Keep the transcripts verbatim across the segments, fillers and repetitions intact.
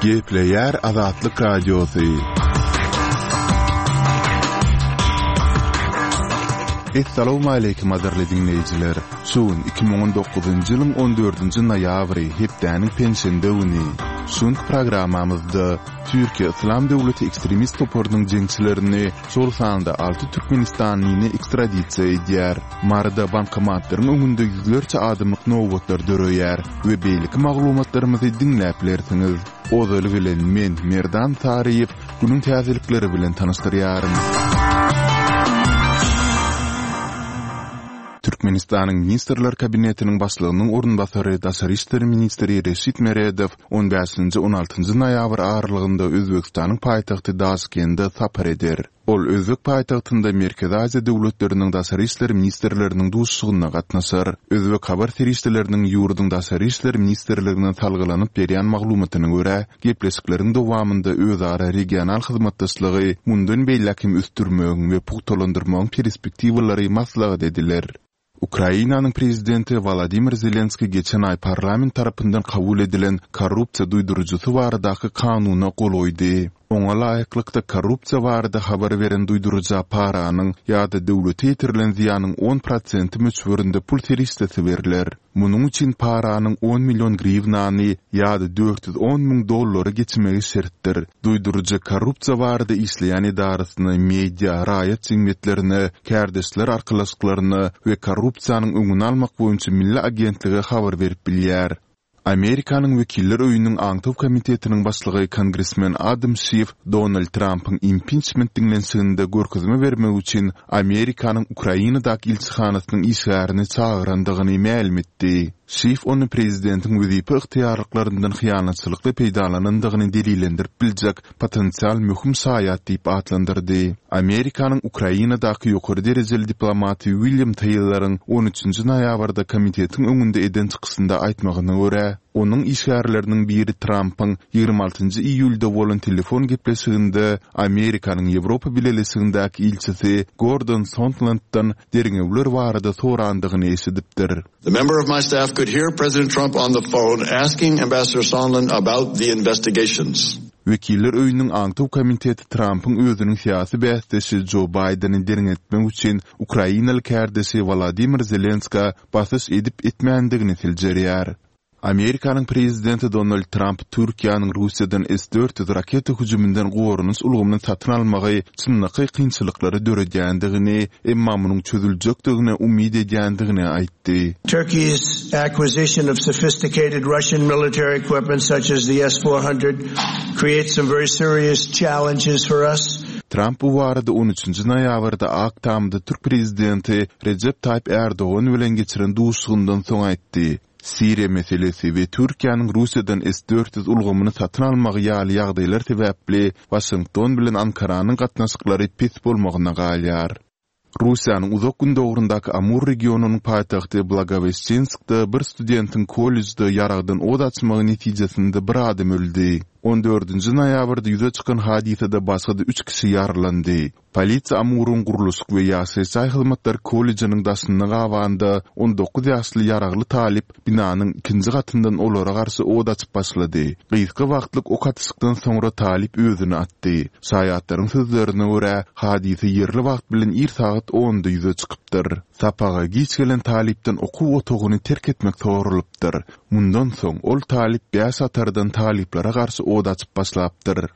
Gepleýär Azatlyk Radiosy. Essalawmaleýkim gadyrly diňleýjiler! Şu gün iki müň on dokuzynjy ýylyň on dördünji noýabry, hepdäniň penşenbe güni. Şu günki programmamyzda Türkiýe Yslam döwleti ekstremist toparynyň jeňçilerini, şol sanda alty türkmenistanlyny ekstradisiýa edýär. Maryda bankomatlaryň öňünde ýüzlerçe adamlyk nobatlar döreýär we beýleki maglumatlarymyzy diňläp bilersiňiz. Ozaly bilen men, Merdan Saryýew, günüň täzelikleri bilen tanyşdyrýaryn. Türkmenistanyň Ministrler Kabinetiniň Başlygynyň orunbasary, daşary işler ministri Reşit Meredow on bäşinji, on altynjy noýabr aralygynda Özbegistanyň paýtagty Daşkende sapar eder. Ol özbek paýtagtynda Merkezi Aziýa döwletleriniň daşary işler ministrleriniň duşuşygyna gatnaşar. Özbek habar serişdeleriniň ýurduň Daşary işler ministrligine salgylanyp berýän maglumatyna görä, gepleşikleriň dowamynda özara regional hyzmatdaşlygy mundan beýläk hem ösdürmegiň we pugtalandyrmagyň perspektiwalary maslahat ediler. Ukrainanyň prezidenti Wolodymyr Zelenskiý geçen aý parlament tarapyndan kabul edilen korrupsiýa duýduryjysy baradaky kanuna gol goýdy. Oňa laýyklykda, korrupsiýa barada habar beren duýduryja paranyň ýa-da döwlete ýetirilen zyýanyň on prosenti möçberinde pul serişdesi berler. Munuň üçin paranyň on million griwnany ýa-da dört ýüz on müň dollary geçmegi şertdir. Duýduryjy korrupsiýa barada işleýän edarasyna, media, raýat jemgyýetlerine, kärdeşler arkalaşyklaryna we korrupsiýanyň öňüni almak boýunça milli agentlige habar berip bilýär. Amerikanyň Wekiller öýüniň aňtaw komitetiniň başlygy kongresmen Adam Şif Donald Trampyň impiçment diňlenişiginde görkezme bermek üçin Amerikanyň Ukrainadaky ilçihanasynyň işgärini çagyrandygyny mälim etdi. Şif ony prezidentiň wezipe ygtyýarlyklaryndan hyýanatçylykly peýdalanandygyny delillendirip biljek potensial möhüm şaýat diýip atlandyrdy. Amerikanyň Ukrainadaky ýokary derejeli diplomaty William Teýloryň on üçünji noýabrda komitetiň öňünde eden çykyşynda aýtmagyna görä, onuň işgärleriniň biri Trampyň ýigrimi altynjy iýulda bolan telefon gepleşiginde Amerikanyň Ýewropa Bileleşigindäki ilçisi Gordon Sondlanddan derňewler barada sorandygyny eşidipdir. The member of my staff could hear President Trump on the phone asking Ambassador Sondland about the investigations. Wekiller öýüniň aňtaw komiteti Trampyň özüniň syýasy bäsdeşi Jo Baýdeni derňetmek üçin ukrainaly kärdeşi Wolodymyr Zelenskä basyş edip-etmändigini seljerýär. Amerikanyň prezidenti Donald Tramp Türkiýäniň Russiýadan S dört ýüz raketa hüjüminden goranyş ulgamyny satyn almagy çynlakaý kynçylyklary döredýändigini, emma munuň çözüljekdigine umyt edýändigini aýtdy. Turkey's acquisition of sophisticated Russian military equipment such as the S four hundred creates some very serious challenges for us. Tramp bu barada on üçünji noýabrda Ak Tamda türk prezidenti Rejep Taýyp Ärdogan bilen geçiren duşuşygyndan soň aýtdy. Siriýa meselesi we Türkiýäniň Russiýadan S dört ýüz ulgamyny satyn almagy ýaly ýagdaýlar sebäpli Waşington bilen Ankaranyň gatnaşyklary pes bolmagyna galýar. Russiýanyň Uzak Gündogrundaky Amur regionynyň paýtagty Blagoweşçenskde bir studentiň kollejde ýaragdan ot açmagy netijesinde bir adam öldi. On dördünji noýabrda ýüze çykan hadysada başga-da üç kişi ýaralandy. Polisiýa Amuryň gurluşyk we ýaşaýyş jaý hyzmatlary kollejiniň daşynda gabanda on dokuz ýaşly ýaragly talyp binanyň ikinji gatyndan olara garşy ot açyp başlady. Gysga wagtlyk ok atyşykdan soňra talyp özüni atdy. Şaýatlaryň sözlerine görä, hadysa ýerli wagt bilen ir sagat onda ýüze çykypdyr. Sapaga giç gelen talypdan okuw otagyny terk etmek soralypdyr. Mundan soň ol talyp bäş hatardan talyplara garşy ot açyp başlapdyr.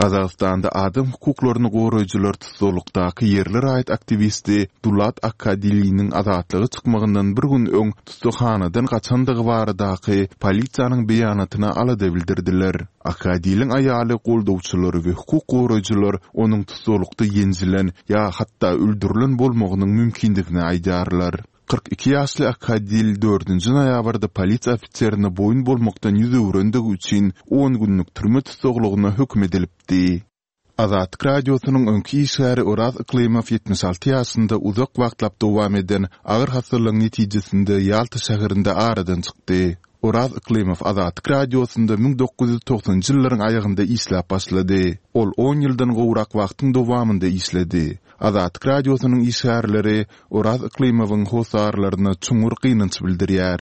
Gazagystanda adam hukuklaryny goraýjylar tussaglykdaky ýerli raýat aktiwisti Dulat Akadiliniň azatlyga çykmagyndan bir gün öň tussaghanadan gaçandygy baradaky polisiýanyň beýanatyna alada bildirdiler. Akadiliň aýaly goldawçylary we hukuk goraýjylar onuň tussaglykda ýenjilen ýa hatda öldürilen bolmagynyň mümkindigini aýdýarlar. Kyrk iki ýaşly Akadil dördünji noýabrda polisiýa ofiserine boýun bolmakdan ýüz öwrendigi üçin on günlük türme tussaglygyna höküm edilipdi. Azatlyk Radiosynyň öňki işgäri Oraz Yklymow ýetmiş alty ýaşynda uzak wagtlap dowam eden agyr hassalygyň netijesinde Ýalta şäherinde aradan çykdy. Oraz Yklymow Azatlyk Radiosynda müň dokuz ýüz togsanynjy ýyllaryň aýagynda işläp başlady. Ol on ýyldan gowrak wagtyň dowamynda işledi. Azatlyk Radiosynyň işgärleri Oraz Yklymowyň hossarlaryna çuňňur gynanç bildirýär.